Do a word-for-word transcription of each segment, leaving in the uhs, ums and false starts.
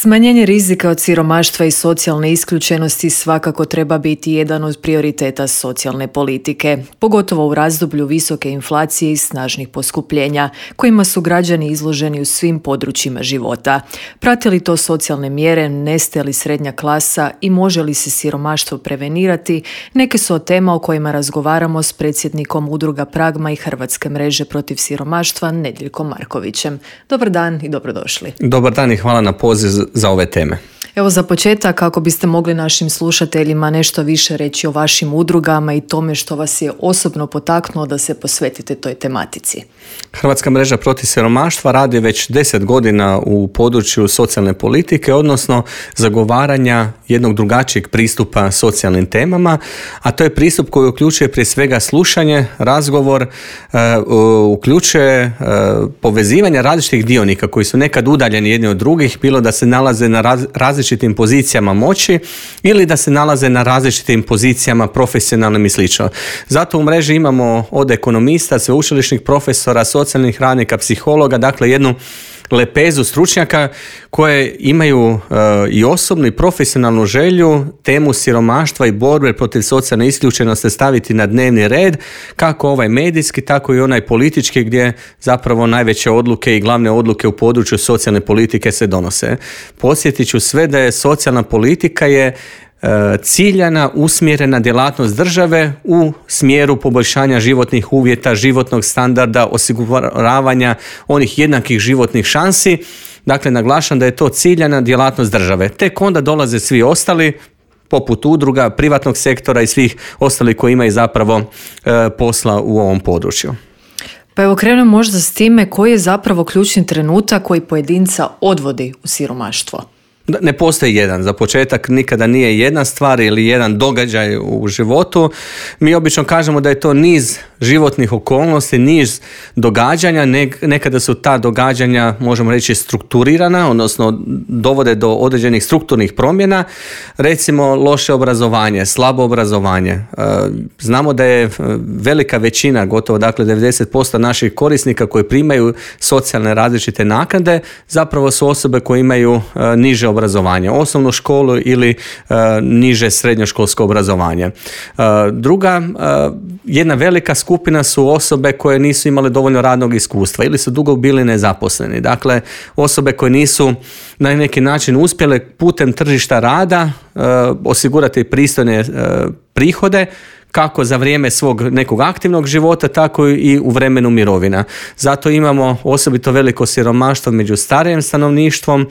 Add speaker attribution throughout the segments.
Speaker 1: Smanjenje rizika od siromaštva i socijalne isključenosti svakako treba biti jedan od prioriteta socijalne politike, pogotovo u razdoblju visoke inflacije i snažnih poskupljenja, kojima su građani izloženi u svim područjima života. Prate li to socijalne mjere, nestaje li srednja klasa i može li se siromaštvo prevenirati, neke su od tema o kojima razgovaramo s predsjednikom udruga Pragma i Hrvatske mreže protiv siromaštva Nedjeljkom Markovićem. Dobar dan i dobrodošli.
Speaker 2: Dobar dan i hvala na poziv za ove teme.
Speaker 1: Evo za početak, kako biste mogli našim slušateljima nešto više reći o vašim udrugama i tome što vas je osobno potaknulo da se posvetite toj tematici.
Speaker 2: Hrvatska mreža protiv siromaštva radi već deset godina u području socijalne politike, odnosno zagovaranja jednog drugačijeg pristupa socijalnim temama, a to je pristup koji uključuje prije svega slušanje, razgovor, uh, uključuje uh, povezivanje različitih dionika koji su nekad udaljeni jedni od drugih, bilo da se nalaze na raz, različitim pozicijama moći ili da se nalaze na različitim pozicijama profesionalnim i slično. Zato u mreži imamo od ekonomista, sveučilišnih profesora, socijalnih radnika, psihologa, dakle jednu lepezu stručnjaka koje imaju uh, i osobnu i profesionalnu želju temu siromaštva i borbe protiv socijalne isključenosti staviti na dnevni red, kako ovaj medijski, tako i onaj politički, gdje zapravo najveće odluke i glavne odluke u području socijalne politike se donose. Podsjetit ću sve da je socijalna politika je ciljana, usmjerena djelatnost države u smjeru poboljšanja životnih uvjeta, životnog standarda, osiguravanja onih jednakih životnih šansi. Dakle, naglašam da je to ciljana djelatnost države. Tek onda dolaze svi ostali, poput udruga, privatnog sektora i svih ostalih koji imaju zapravo e, posla u ovom području.
Speaker 1: Pa evo krenemo možda s time koji je zapravo ključni trenutak koji pojedinca odvodi u siromaštvo.
Speaker 2: Ne postoji jedan. Za početak nikada nije jedna stvar ili jedan događaj u životu. Mi obično kažemo da je to niz životnih okolnosti, niz događanja. Nekada su ta događanja, možemo reći, strukturirana, odnosno dovode do određenih strukturnih promjena. Recimo loše obrazovanje, slabo obrazovanje. Znamo da je velika većina, gotovo dakle devedeset posto naših korisnika koji primaju socijalne različite naknade, zapravo su osobe koje imaju niže obrazovanje, osnovnu školu ili uh, niže srednjoškolsko obrazovanje. Uh, druga, uh, jedna velika skupina su osobe koje nisu imale dovoljno radnog iskustva ili su dugo bili nezaposleni. Dakle, osobe koje nisu na neki način uspjele putem tržišta rada uh, osigurati pristojne uh, prihode, kako za vrijeme svog nekog aktivnog života, tako i u vremenu mirovina. Zato imamo osobito veliko siromaštvo među starijim stanovništvom,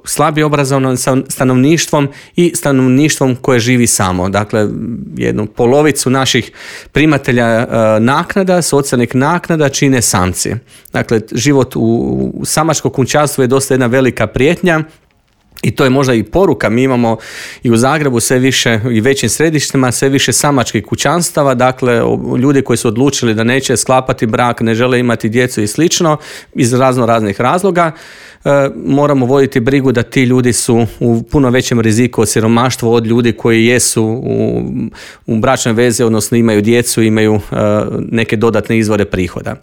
Speaker 2: slabije obrazovnim stanovništvom i stanovništvom koje živi samo. Dakle, jednu polovicu naših primatelja naknada, socijalnih naknada čine samci. Dakle, život u samačkom kućanstvu je dosta jedna velika prijetnja. I to je možda i poruka. Mi imamo i u Zagrebu sve više i većim središtima sve više samačkih kućanstava, dakle ljudi koji su odlučili da neće sklapati brak, ne žele imati djecu i slično iz razno raznih razloga. E, moramo voditi brigu da ti ljudi su u puno većem riziku od siromaštva od ljudi koji jesu u, u bračnoj vezi, odnosno imaju djecu, imaju e, neke dodatne izvore prihoda.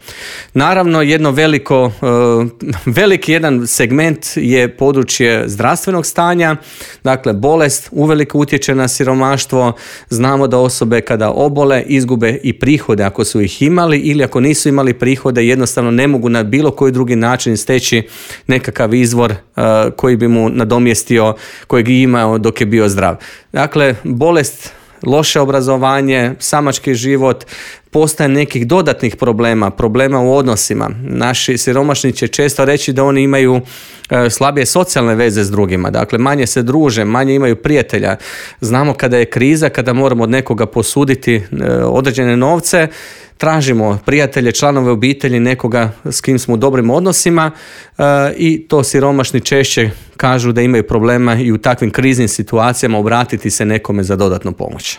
Speaker 2: Naravno, jedno veliko, e, veliki jedan segment je područje zdravstvenog stanja, dakle bolest uvelike utječe na siromaštvo. Znamo da osobe kada obole izgube i prihode ako su ih imali ili ako nisu imali prihode jednostavno ne mogu na bilo koji drugi način steći nekakav izvor uh, koji bi mu nadomjestio, kojeg je imao dok je bio zdrav. Dakle, bolest, loše obrazovanje, samački život, postaje nekih dodatnih problema, problema u odnosima. Naši siromašni će često reći da oni imaju e, slabije socijalne veze s drugima, dakle manje se druže, manje imaju prijatelja. Znamo kada je kriza, kada moramo od nekoga posuditi e, određene novce, tražimo prijatelje, članove obitelji, nekoga s kim smo u dobrim odnosima e, i to siromašni češće kažu da imaju problema i u takvim kriznim situacijama obratiti se nekome za dodatnu pomoć.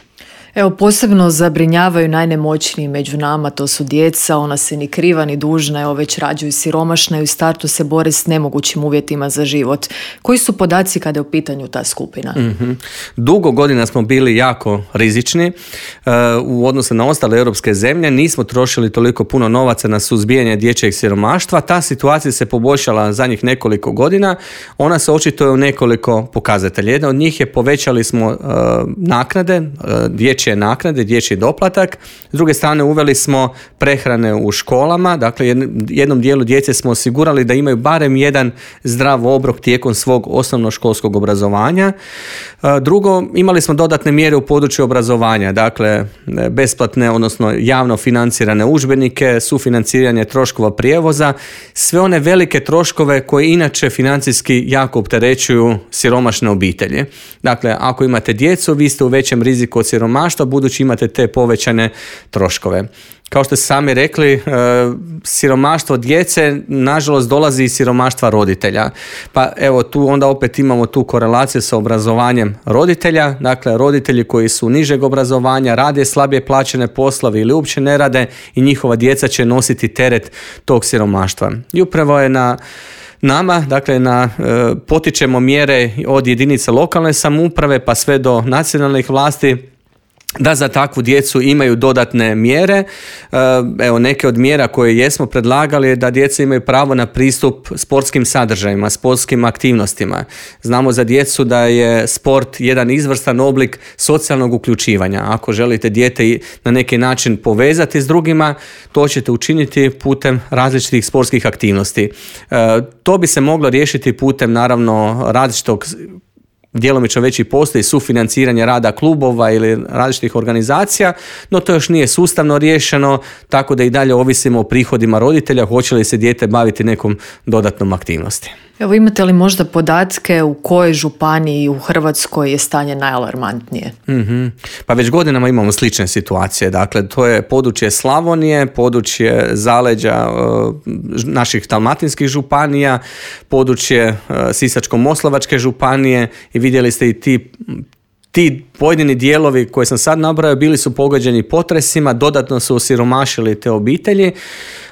Speaker 1: Evo, posebno zabrinjavaju najnemoćniji među nama, to su djeca, ona se ni kriva ni dužna, evo već rađaju siromašna i u startu se bore s nemogućim uvjetima za život. Koji su podaci kada je u pitanju ta skupina?
Speaker 2: Mm-hmm. Dugo godina smo bili jako rizični uh, u odnosu na ostale europske zemlje, nismo trošili toliko puno novaca na suzbijanje dječjeg siromaštva, ta situacija se poboljšala zadnjih nekoliko godina, ona se očituje u nekoliko pokazatelja. Jedna od njih je povećali smo uh, naknade, uh, dječje naknade, dječji doplatak. S druge strane uveli smo prehrane u školama, dakle jednom dijelu djece smo osigurali da imaju barem jedan zdrav obrok tijekom svog osnovnoškolskog obrazovanja. Drugo, imali smo dodatne mjere u području obrazovanja, dakle besplatne, odnosno javno financirane udžbenike, sufinanciranje troškova prijevoza, sve one velike troškove koje inače financijski jako opterećuju siromašne obitelji. Dakle, ako imate djecu, vi ste u većem riziku od siromaštva, budući imate te povećane troškove. Kao što ste sami rekli, siromaštvo djece nažalost dolazi iz siromaštva roditelja. Pa evo tu onda opet imamo tu korelaciju sa obrazovanjem roditelja. Dakle, roditelji koji su nižeg obrazovanja, rade slabije plaćene poslove ili uopće ne rade i njihova djeca će nositi teret tog siromaštva. I upravo je na nama, dakle, na, e, potičemo mjere od jedinica lokalne samouprave pa sve do nacionalnih vlasti da za takvu djecu imaju dodatne mjere. Evo, neke od mjera koje jesmo predlagali je da djeca imaju pravo na pristup sportskim sadržajima, sportskim aktivnostima. Znamo za djecu da je sport jedan izvrstan oblik socijalnog uključivanja. Ako želite dijete na neki način povezati s drugima, to ćete učiniti putem različitih sportskih aktivnosti. To bi se moglo riješiti putem, naravno, različitog djelomično već i postoji sufinanciranje rada klubova ili različitih organizacija, no to još nije sustavno riješeno, tako da i dalje ovisimo o prihodima roditelja, hoće li se dijete baviti nekom dodatnom aktivnosti.
Speaker 1: Evo, imate li možda podatke u kojoj županiji u Hrvatskoj je stanje najalarmantnije?
Speaker 2: Mm-hmm. Pa već godinama imamo slične situacije. Dakle, to je područje Slavonije, područje zaleđa uh, naših dalmatinskih županija, područje uh, Sisačko-moslavačke županije i vidjeli ste i ti Ti pojedini dijelovi koje sam sad nabrojao bili su pogođeni potresima, dodatno su osiromašili te obitelji,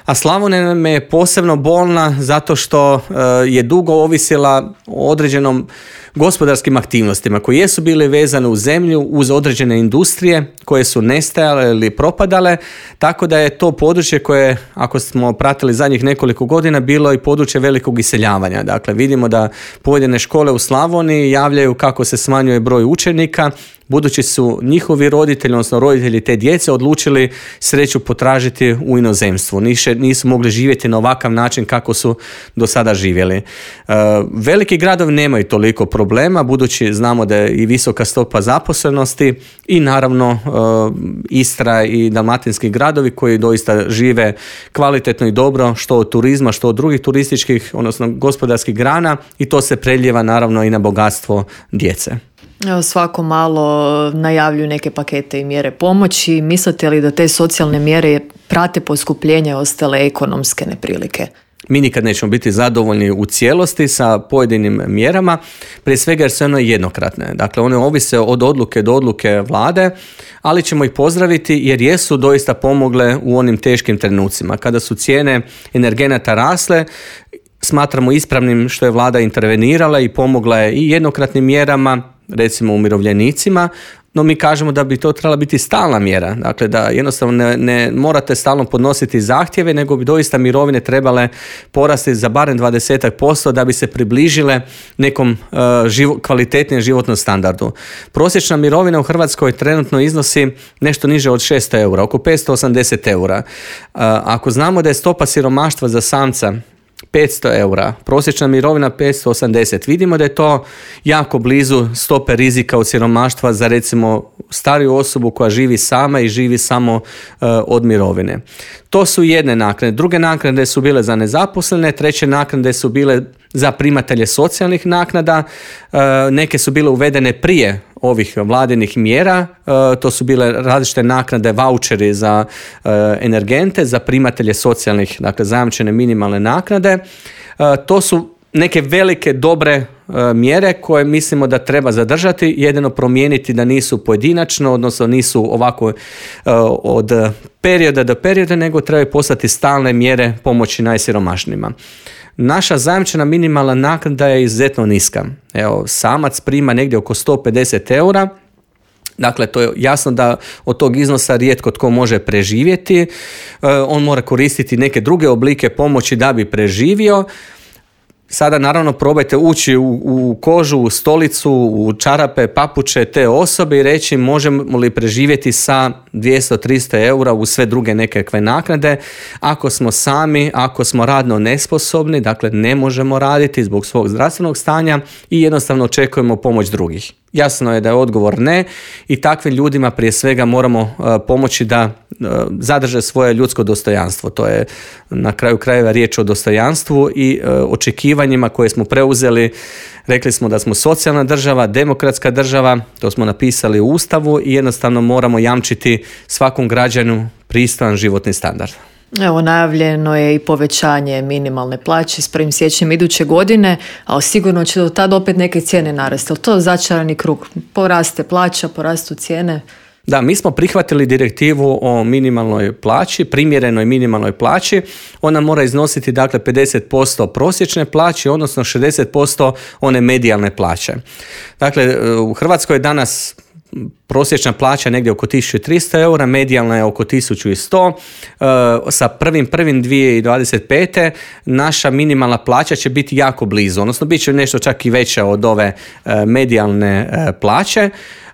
Speaker 2: a Slavonija nam je posebno bolna zato što uh, je dugo ovisila o određenom gospodarskim aktivnostima koji jesu bili vezane u zemlju uz određene industrije koje su nestajale ili propadale, tako da je to područje koje, ako smo pratili zadnjih nekoliko godina, bilo i područje velikog iseljavanja. Dakle, vidimo da pojedine škole u Slavoniji javljaju kako se smanjuje broj učenika, budući su njihovi roditelji, odnosno roditelji te djece, odlučili sreću potražiti u inozemstvu. Niše, nisu mogli živjeti na ovakav način kako su do sada živjeli. E, veliki gradovi nemaju toliko problema, budući znamo da je i visoka stopa zaposlenosti i naravno e, Istra i dalmatinski gradovi koji doista žive kvalitetno i dobro, što od turizma, što od drugih turističkih, odnosno gospodarskih grana, i to se preljeva naravno i na bogatstvo djece.
Speaker 1: Evo, svako malo najavljuju neke pakete i mjere pomoći. Mislite li da te socijalne mjere prate poskupljenje ostale ekonomske neprilike?
Speaker 2: Mi nikad nećemo biti zadovoljni u cijelosti sa pojedinim mjerama, prije svega jer su one jednokratne. Dakle, one ovise od odluke do odluke vlade, ali ćemo ih pozdraviti jer jesu doista pomogle u onim teškim trenucima. Kada su cijene energenata rasle, smatramo ispravnim što je vlada intervenirala i pomogla je i jednokratnim mjerama, recimo umirovljenicima, no mi kažemo da bi to trebala biti stalna mjera. Dakle, da jednostavno ne, ne morate stalno podnositi zahtjeve, nego bi doista mirovine trebale porasti za barem dvadeset posto da bi se približile nekom uh, živo, kvalitetnijem životnom standardu. Prosječna mirovina u Hrvatskoj trenutno iznosi nešto niže od šesto eura, oko petsto osamdeset eura. Uh, ako znamo da je stopa siromaštva za samca petsto eura, prosječna mirovina petsto osamdeset. Vidimo da je to jako blizu stope rizika od siromaštva za recimo stariju osobu koja živi sama i živi samo uh, od mirovine. To su jedne naknade. Druge naknade su bile za nezaposlene, treće naknade su bile za primatelje socijalnih naknada, uh, neke su bile uvedene prije ovih vladinih mjera, uh, to su bile različite naknade, vaučeri za uh, energente, za primatelje socijalnih, dakle zajamčene minimalne naknade. Uh, to su neke velike, dobre mjere koje mislimo da treba zadržati, jedino promijeniti da nisu pojedinačno, odnosno nisu ovako od perioda do perioda, nego trebaju postati stalne mjere pomoći najsiromašnijima. Naša zajamčena minimalna naknada je izuzetno niska. Evo, samac prima negdje oko sto pedeset eura. Dakle, to je jasno da od tog iznosa rijetko tko može preživjeti. On mora koristiti neke druge oblike pomoći da bi preživio. Sada naravno probajte ući u, u kožu, u stolicu, u čarape, papuče te osobe i reći možemo li preživjeti sa dvjesto do tristo eura u sve druge nekakve naknade. Ako smo sami, ako smo radno nesposobni, dakle ne možemo raditi zbog svog zdravstvenog stanja i jednostavno očekujemo pomoć drugih. Jasno je da je odgovor ne i takvim ljudima prije svega moramo uh, pomoći da uh, zadrže svoje ljudsko dostojanstvo. To je na kraju krajeva riječ o dostojanstvu i uh, očekivanjima koje smo preuzeli. Rekli smo da smo socijalna država, demokratska država, to smo napisali u Ustavu i jednostavno moramo jamčiti svakom građanu pristojan životni standard.
Speaker 1: Evo, najavljeno je i povećanje minimalne plaće s prvim siječnjem iduće godine, ali sigurno će do tada opet neke cijene narasti. Ali to je začarani krug. Poraste plaća, porastu cijene.
Speaker 2: Da, mi smo prihvatili direktivu o minimalnoj plaći, primjerenoj minimalnoj plaći. Ona mora iznositi dakle pedeset posto prosječne plaće, odnosno šezdeset posto one medijalne plaće. Dakle, u Hrvatskoj je danas prosječna plaća negdje oko tisuću tristo eura, medijalna je oko tisuću sto. E, sa prvim prvim dvije tisuće dvadeset pete naša minimalna plaća će biti jako blizu, odnosno bit će nešto čak i veća od ove e, medijalne e, plaće.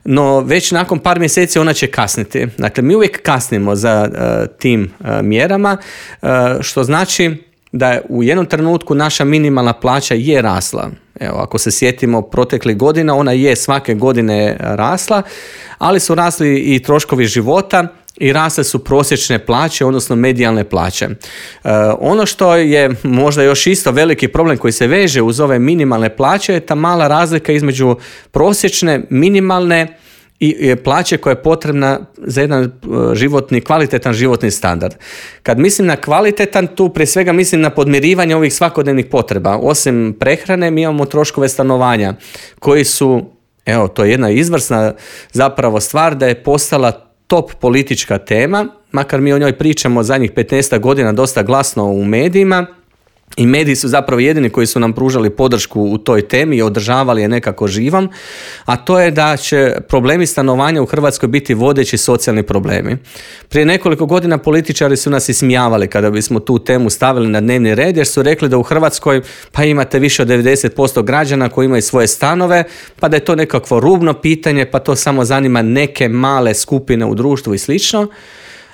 Speaker 2: No već nakon par mjeseci ona će kasniti. Dakle, mi uvijek kasnimo za uh, tim uh, mjerama, uh, što znači da je u jednom trenutku naša minimalna plaća je rasla. Evo, ako se sjetimo proteklih godina, ona je svake godine rasla, ali su rasli i troškovi života i rasle su prosječne plaće, odnosno medijalne plaće. E, ono što je možda još isto veliki problem koji se veže uz ove minimalne plaće je ta mala razlika između prosječne, minimalne i plaće koja je potrebna za jedan životni, kvalitetan životni standard. Kad mislim na kvalitetan, tu prije svega mislim na podmirivanje ovih svakodnevnih potreba. Osim prehrane, mi imamo troškove stanovanja koji su, evo, to je jedna izvrsna zapravo stvar da je postala top politička tema, makar mi o njoj pričamo zadnjih petnaest godina dosta glasno u medijima. I mediji su zapravo jedini koji su nam pružali podršku u toj temi i održavali je nekako živom, a to je da će problemi stanovanja u Hrvatskoj biti vodeći socijalni problemi. Prije nekoliko godina političari su nas ismijavali kada bismo tu temu stavili na dnevni red, jer su rekli da u Hrvatskoj pa imate više od devedeset posto građana koji imaju svoje stanove, pa da je to nekakvo rubno pitanje, pa to samo zanima neke male skupine u društvu i slično.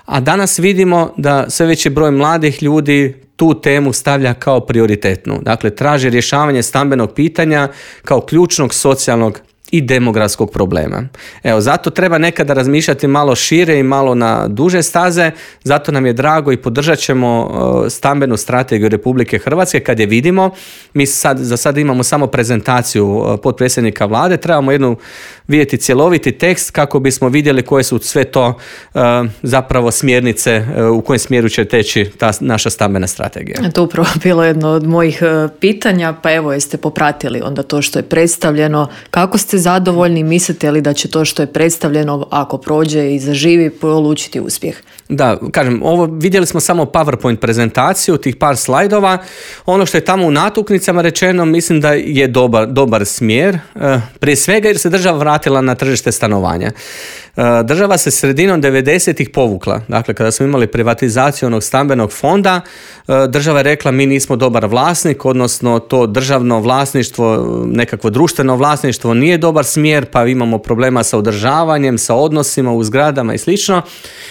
Speaker 2: A danas vidimo da sve veći broj mladih ljudi tu temu stavlja kao prioritetnu. Dakle, traži rješavanje stambenog pitanja kao ključnog socijalnog i demografskog problema. Evo, zato treba nekada razmišljati malo šire i malo na duže staze, zato nam je drago i podržat ćemo uh, stambenu strategiju Republike Hrvatske kad je vidimo. Mi sad, za sad imamo samo prezentaciju uh, potpredsjednika vlade, trebamo jednu vidjeti cjeloviti tekst kako bismo vidjeli koje su sve to uh, zapravo smjernice uh, u kojem smjeru će teći ta naša stambena strategija.
Speaker 1: To upravo bilo jedno od mojih uh, pitanja, pa evo, jeste popratili onda to što je predstavljeno, kako ste zadovoljni, mislite li da će to što je predstavljeno, ako prođe i zaživi, polučiti uspjeh?
Speaker 2: Da, kažem, ovo vidjeli smo samo PowerPoint prezentaciju, tih par slajdova. Ono što je tamo u natuknicama rečeno, mislim da je dobar, dobar smjer. Prije svega jer se država vratila na tržište stanovanja. Država se sredinom devedesetih povukla. Dakle, kada smo imali privatizaciju onog stambenog fonda, država je rekla mi nismo dobar vlasnik, odnosno to državno vlasništvo, nekakvo društveno vlasništvo nije dobar smjer, pa imamo problema sa održavanjem, sa odnosima u zgradama i slično.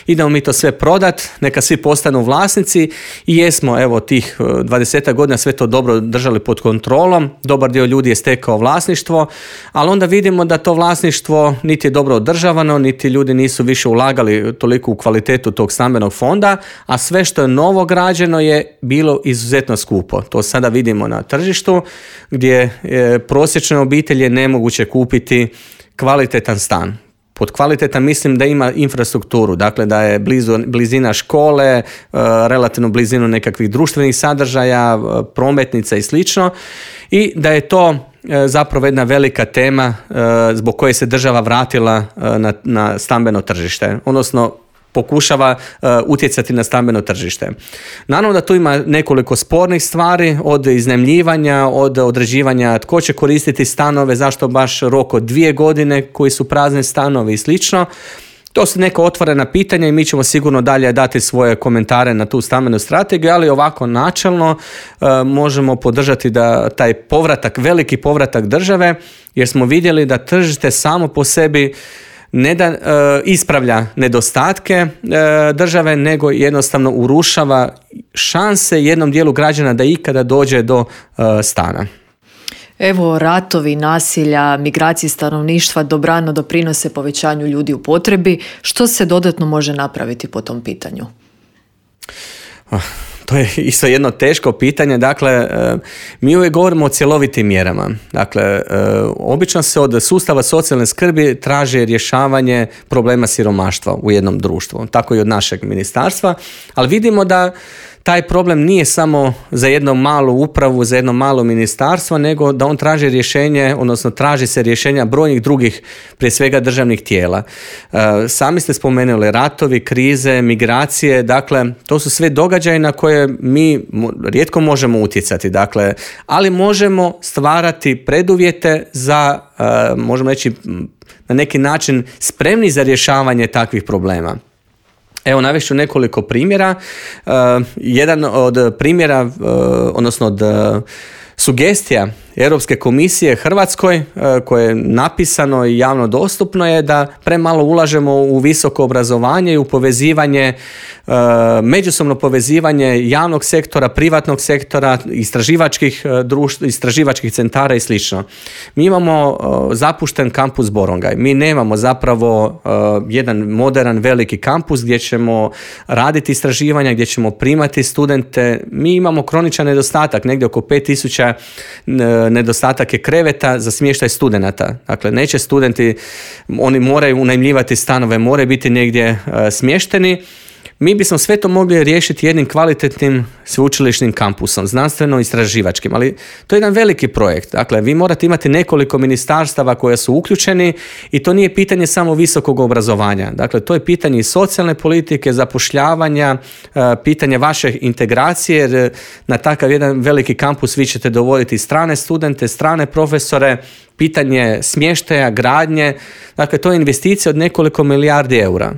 Speaker 2: Idemo mi to sve prodat, neka svi postanu vlasnici i jesmo, evo, tih dvadeset godina sve to dobro držali pod kontrolom, dobar dio ljudi je stekao vlasništvo, ali onda vidimo da to vlasništvo niti je dobro održavano, niti ljudi nisu više ulagali toliko u kvalitetu tog stambenog fonda, a sve što je novo građeno je bilo izuzetno skupo. To sada vidimo na tržištu gdje je prosječne obitelji je nemoguće kupiti kvalitetan stan. Pod kvalitetan mislim da ima infrastrukturu, dakle da je blizu, blizina škole, relativno blizinu nekakvih društvenih sadržaja, prometnica i slično, i da je to zapravo jedna velika tema zbog koje se država vratila na, na stambeno tržište, odnosno pokušava uh, utjecati na stambeno tržište. Naravno da tu ima nekoliko spornih stvari, od iznajmljivanja, od određivanja tko će koristiti stanove, zašto baš rok od dvije godine koji su prazni stanovi i slično. To su neka otvorena pitanja i mi ćemo sigurno dalje dati svoje komentare na tu stambenu strategiju, ali ovako načelno uh, možemo podržati da taj povratak, veliki povratak države, jer smo vidjeli da tržište samo po sebi ne da e, ispravlja nedostatke e, države, nego jednostavno urušava šanse jednom dijelu građana da ikada dođe do e, stana.
Speaker 1: Evo, ratovi, nasilja, migracije stanovništva dobrano doprinose povećanju ljudi u potrebi. Što se dodatno može napraviti po tom pitanju?
Speaker 2: To je isto jedno teško pitanje. Dakle, mi uvijek govorimo o cjelovitim mjerama. Dakle, obično se od sustava socijalne skrbi traži rješavanje problema siromaštva u jednom društvu. Tako i od našeg ministarstva. Ali vidimo da taj problem nije samo za jednu malu upravu, za jedno malo ministarstvo, nego da on traži rješenje, odnosno traži se rješenja brojnih drugih, prije svega državnih tijela. E, sami ste spomenuli ratovi, krize, migracije, dakle, to su sve događaje na koje mi rijetko možemo utjecati, dakle, ali možemo stvarati preduvjete za, e, možemo reći, na neki način spremni za rješavanje takvih problema. Evo, navest ću nekoliko primjera. Uh, jedan od primjera, uh, odnosno od uh, sugestija Europske komisije Hrvatskoj, uh, koje je napisano i javno dostupno, je da premalo ulažemo u visoko obrazovanje i u povezivanje, uh, međusobno povezivanje javnog sektora, privatnog sektora, istraživačkih uh, društva, istraživačkih centara i slično. Mi imamo uh, zapušten kampus Borongaj. Mi nemamo zapravo uh, jedan moderan veliki kampus gdje ćemo raditi istraživanja, gdje ćemo primati studente. Mi imamo kroničan nedostatak, negdje oko pet tisuća nedostatak je kreveta za smještaj studenata. Dakle, neće studenti, oni moraju unajmljivati stanove, moraju biti negdje uh, smješteni. Mi bismo sve to mogli riješiti jednim kvalitetnim sveučilišnim kampusom, znanstveno-istraživačkim, ali to je jedan veliki projekt. Dakle, vi morate imati nekoliko ministarstava koja su uključeni i to nije pitanje samo visokog obrazovanja. Dakle, to je pitanje i socijalne politike, zapošljavanja, pitanje vaše integracije, jer na takav jedan veliki kampus vi ćete dovoditi strane studente, strane profesore, pitanje smještaja, gradnje, dakle to je investicija od nekoliko milijardi eura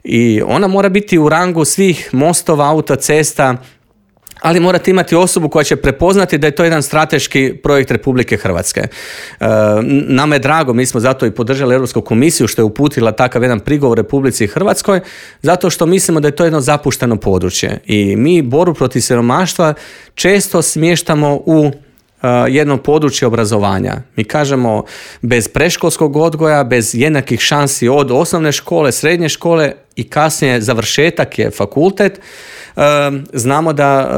Speaker 2: i ona mora biti u rangu svih mostova, autocesta, ali morate imati osobu koja će prepoznati da je to jedan strateški projekt Republike Hrvatske. E, nama je drago, mi smo zato i podržali Europsku komisiju što je uputila takav jedan prigovor Republici Hrvatskoj, zato što mislimo da je to jedno zapušteno područje i mi borbu protiv siromaštva često smještamo u jedno područje obrazovanja. Mi kažemo bez predškolskog odgoja, bez jednakih šansi od osnovne škole, srednje škole i kasnije završetak je fakultet. Znamo da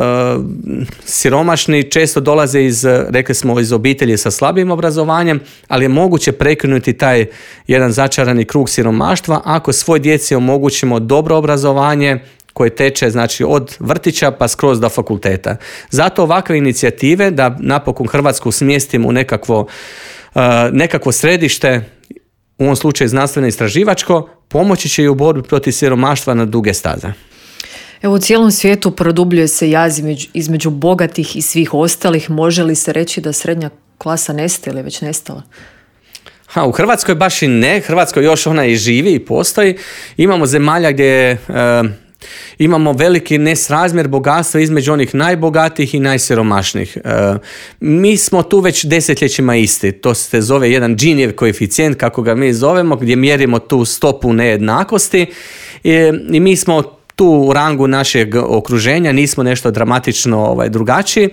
Speaker 2: siromašni često dolaze iz, rekli smo, iz obitelji sa slabijim obrazovanjem, ali je moguće prekinuti taj jedan začarani krug siromaštva ako svoj djeci omogućimo dobro obrazovanje koje teče, znači, od vrtića pa skroz do fakulteta. Zato ovakve inicijative da napokon Hrvatsku smjestimo u nekakvo, uh, nekakvo središte, u ovom slučaju znanstveno istraživačko, pomoći će i u borbi protiv siromaštva na duge staze.
Speaker 1: Evo, u cijelom svijetu produbljuje se jaz između, između bogatih i svih ostalih. Može li se reći da srednja klasa nestaje ili već nestala?
Speaker 2: Ha, u Hrvatskoj baš i ne. Hrvatskoj još ona i živi i postoji. Imamo zemalja gdje uh, imamo veliki nesrazmjer bogatstva između onih najbogatijih i najsiromašnijih. E, mi smo tu već desetljećima isti. To se zove jedan Ginijev koeficijent, kako ga mi zovemo, gdje mjerimo tu stopu nejednakosti i, i mi smo tu u rangu našeg okruženja, nismo nešto dramatično ovaj, drugačiji, e,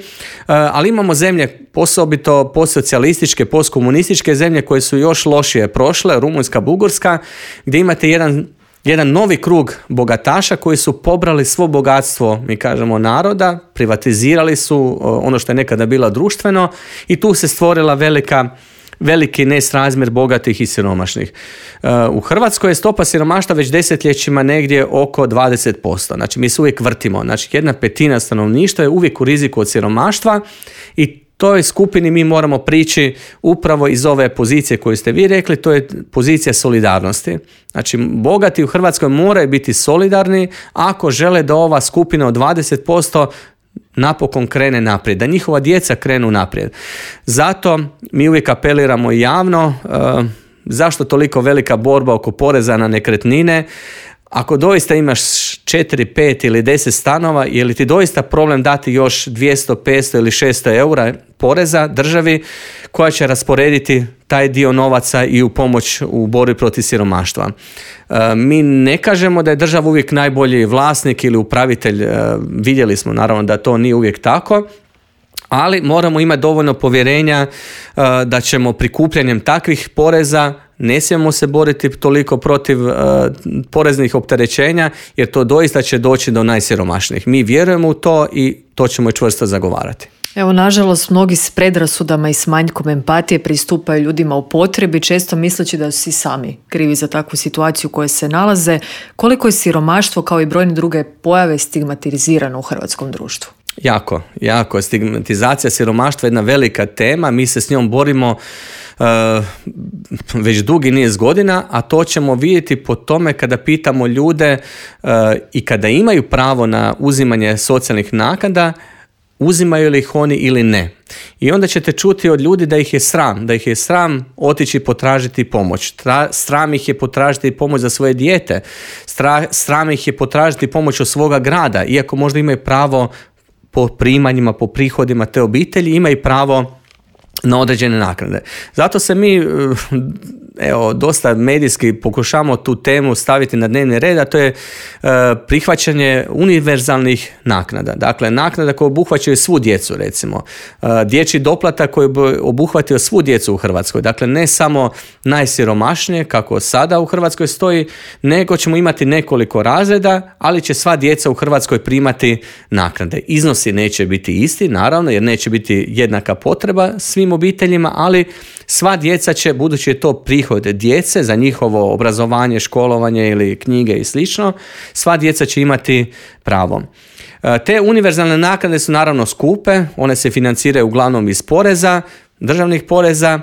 Speaker 2: ali imamo zemlje, osobito postsocijalističke, postkomunističke zemlje koje su još lošije prošle, Rumunjska, Bugarska, gdje imate jedan jedan novi krug bogataša koji su pobrali svo bogatstvo, mi kažemo, naroda, privatizirali su ono što je nekada bilo društveno i tu se stvorila velika veliki nesrazmjer bogatih i siromašnih. U Hrvatskoj je stopa siromaštva već desetljećima negdje oko dvadeset posto. Znači mi se uvijek vrtimo. Znači jedna petina stanovništva je uvijek u riziku od siromaštva i toj skupini mi moramo prići upravo iz ove pozicije koju ste vi rekli, to je pozicija solidarnosti. Znači, bogati u Hrvatskoj moraju biti solidarni ako žele da ova skupina od dvadeset posto napokon krene naprijed, da njihova djeca krenu naprijed. Zato mi uvijek apeliramo javno, uh, zašto toliko velika borba oko poreza na nekretnine. Ako doista imaš četiri, pet ili deset stanova, je li ti doista problem dati još dvjesto, petsto ili šesto eura poreza državi koja će rasporediti taj dio novaca i u pomoć u borbi protiv siromaštva? E, mi ne kažemo da je država uvijek najbolji vlasnik ili upravitelj, e, vidjeli smo naravno da to nije uvijek tako, ali moramo imati dovoljno povjerenja uh, da ćemo prikupljanjem takvih poreza, ne smijemo se boriti toliko protiv uh, poreznih opterećenja, jer to doista će doći do najsiromašnijih. Mi vjerujemo u to i to ćemo i čvrsto zagovarati.
Speaker 1: Evo, nažalost, mnogi s predrasudama i s manjkom empatije pristupaju ljudima u potrebi, često misleći da su si sami krivi za takvu situaciju u kojoj se nalaze. Koliko je siromaštvo kao i brojne druge pojave stigmatizirano u hrvatskom društvu?
Speaker 2: Jako, jako. Stigmatizacija siromaštva je jedna velika tema, mi se s njom borimo uh, već dugi niz godina, a to ćemo vidjeti po tome kada pitamo ljude uh, i kada imaju pravo na uzimanje socijalnih naknada, uzimaju li ih oni ili ne. I onda ćete čuti od ljudi da ih je sram, da ih je sram otići potražiti pomoć. Tra, sram ih je potražiti pomoć za svoje dijete, Stra, sram ih je potražiti pomoć od svoga grada, iako možda imaju pravo po primanjima, po prihodima te obitelji, imaju pravo na određene naknade. Zato se mi evo, dosta medijski pokušamo tu temu staviti na dnevni red, a to je e, prihvaćanje univerzalnih naknada. Dakle, naknada koje obuhvaćaju svu djecu, recimo. E, dječji doplatak koji bi obuhvatio svu djecu u Hrvatskoj. Dakle, ne samo najsiromašnije, kako sada u Hrvatskoj stoji, nego ćemo imati nekoliko razreda, ali će sva djeca u Hrvatskoj primati naknade. Iznosi neće biti isti, naravno, jer neće biti jednaka potreba svim obiteljima, ali sva djeca će, budući je to prihod djece za njihovo obrazovanje, školovanje ili knjige i slično, sva djeca će imati pravo. Te univerzalne naknade su naravno skupe, one se financiraju uglavnom iz poreza, državnih poreza,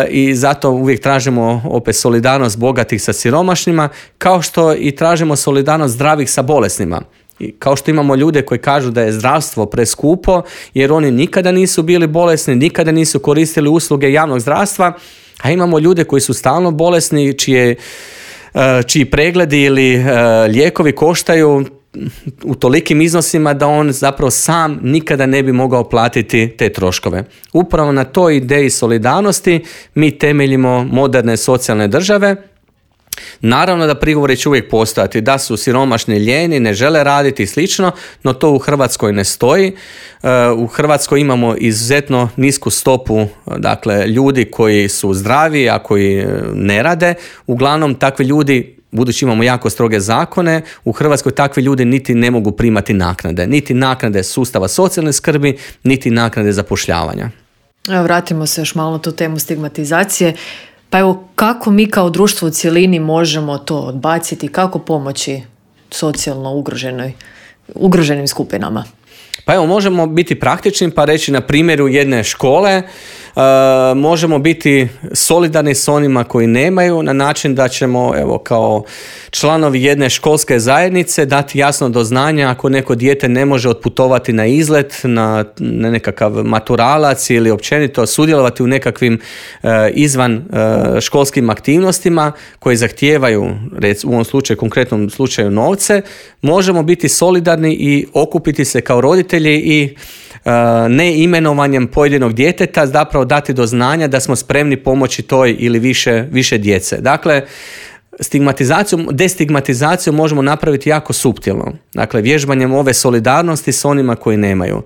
Speaker 2: i zato uvijek tražimo opet solidarnost bogatih sa siromašnima, kao što i tražimo solidarnost zdravih sa bolesnima. I kao što imamo ljude koji kažu da je zdravstvo preskupo jer oni nikada nisu bili bolesni, nikada nisu koristili usluge javnog zdravstva, a imamo ljude koji su stalno bolesni, čije, čiji pregledi ili lijekovi koštaju u tolikim iznosima da on zapravo sam nikada ne bi mogao platiti te troškove. Upravo na toj ideji solidarnosti mi temeljimo moderne socijalne države. Naravno da prigovori će uvijek postojati, da su siromašni, lijeni, ne žele raditi i slično, no to u Hrvatskoj ne stoji. U Hrvatskoj imamo izuzetno nisku stopu, dakle, ljudi koji su zdravi, a koji ne rade. Uglavnom, takvi ljudi, budući imamo jako stroge zakone, u Hrvatskoj takvi ljudi niti ne mogu primati naknade. Niti naknade sustava socijalne skrbi, niti naknade zapošljavanja.
Speaker 1: Evo, vratimo se još malo na tu temu stigmatizacije. Pa evo, kako mi kao društvo u cjelini možemo to odbaciti, kako pomoći socijalno ugroženoj, ugroženim skupinama?
Speaker 2: Pa evo, možemo biti praktični pa reći na primjeru jedne škole, uh, možemo biti solidarni s onima koji nemaju na način da ćemo, evo, kao članovi jedne školske zajednice dati jasno do znanja ako neko dijete ne može otputovati na izlet, na, na nekakav maturalac ili općenito sudjelovati u nekakvim uh, izvan uh, školskim aktivnostima koje zahtijevaju, rec, u ovom slučaju, konkretnom slučaju novce, možemo biti solidarni i okupiti se kao roditelji i uh, ne imenovanjem pojedinog djeteta zapravo dati do znanja da smo spremni pomoći toj ili više, više djece. Dakle, stigmatizaciju, destigmatizaciju možemo napraviti jako suptilno. Dakle, vježbanjem ove solidarnosti s onima koji nemaju.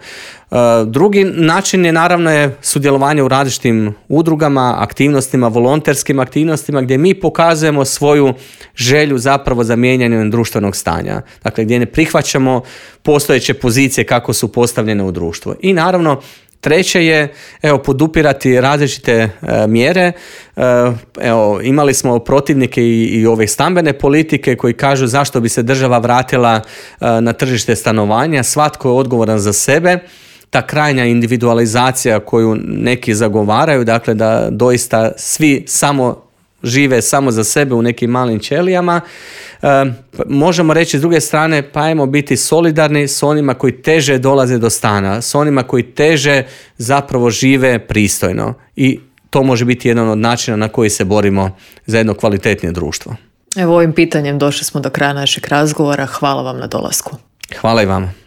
Speaker 2: Uh, drugi način je naravno je sudjelovanje u različitim udrugama, aktivnostima, volonterskim aktivnostima gdje mi pokazujemo svoju želju zapravo za mijenjanjem društvenog stanja. Dakle, gdje ne prihvaćamo postojeće pozicije kako su postavljene u društvu. I naravno, Treće je, evo, podupirati različite e, mjere. E, evo, imali smo protivnike i, i ove stambene politike koji kažu zašto bi se država vratila e, na tržište stanovanja. Svatko je odgovoran za sebe. Ta krajnja individualizacija koju neki zagovaraju, dakle da doista svi samo žive samo za sebe u nekim malim ćelijama. E, možemo reći s druge strane, pa ajmo biti solidarni s onima koji teže dolaze do stana, s onima koji teže zapravo žive pristojno. I to može biti jedan od načina na koji se borimo za jedno kvalitetnije društvo.
Speaker 1: Evo, ovim pitanjem došli smo do kraja našeg razgovora. Hvala vam na dolasku.
Speaker 2: Hvala i vama.